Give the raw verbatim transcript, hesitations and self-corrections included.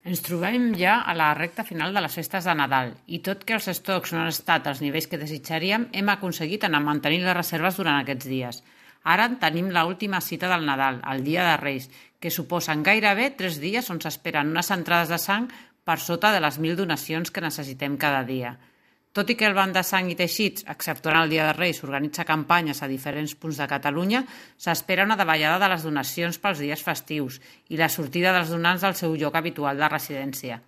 Ens trobem ja a la recta final de les festes de Nadal i tot que els estocs no han estat als nivells que desitjaríem, hem aconseguit anar mantenint les reserves durant aquests dies. Ara tenim l'última cita del Nadal, el Dia de Reis, que suposen gairebé tres dies on s'esperen unes entrades de sang per sota de les mil donacions que necessitem cada dia. Tot i que el Banc de Sang i Teixits, exceptuant el Dia de Reis, organitza campanyes a diferents punts de Catalunya, s'espera una davallada de les donacions pels dies festius i la sortida dels donants del seu lloc habitual de residència.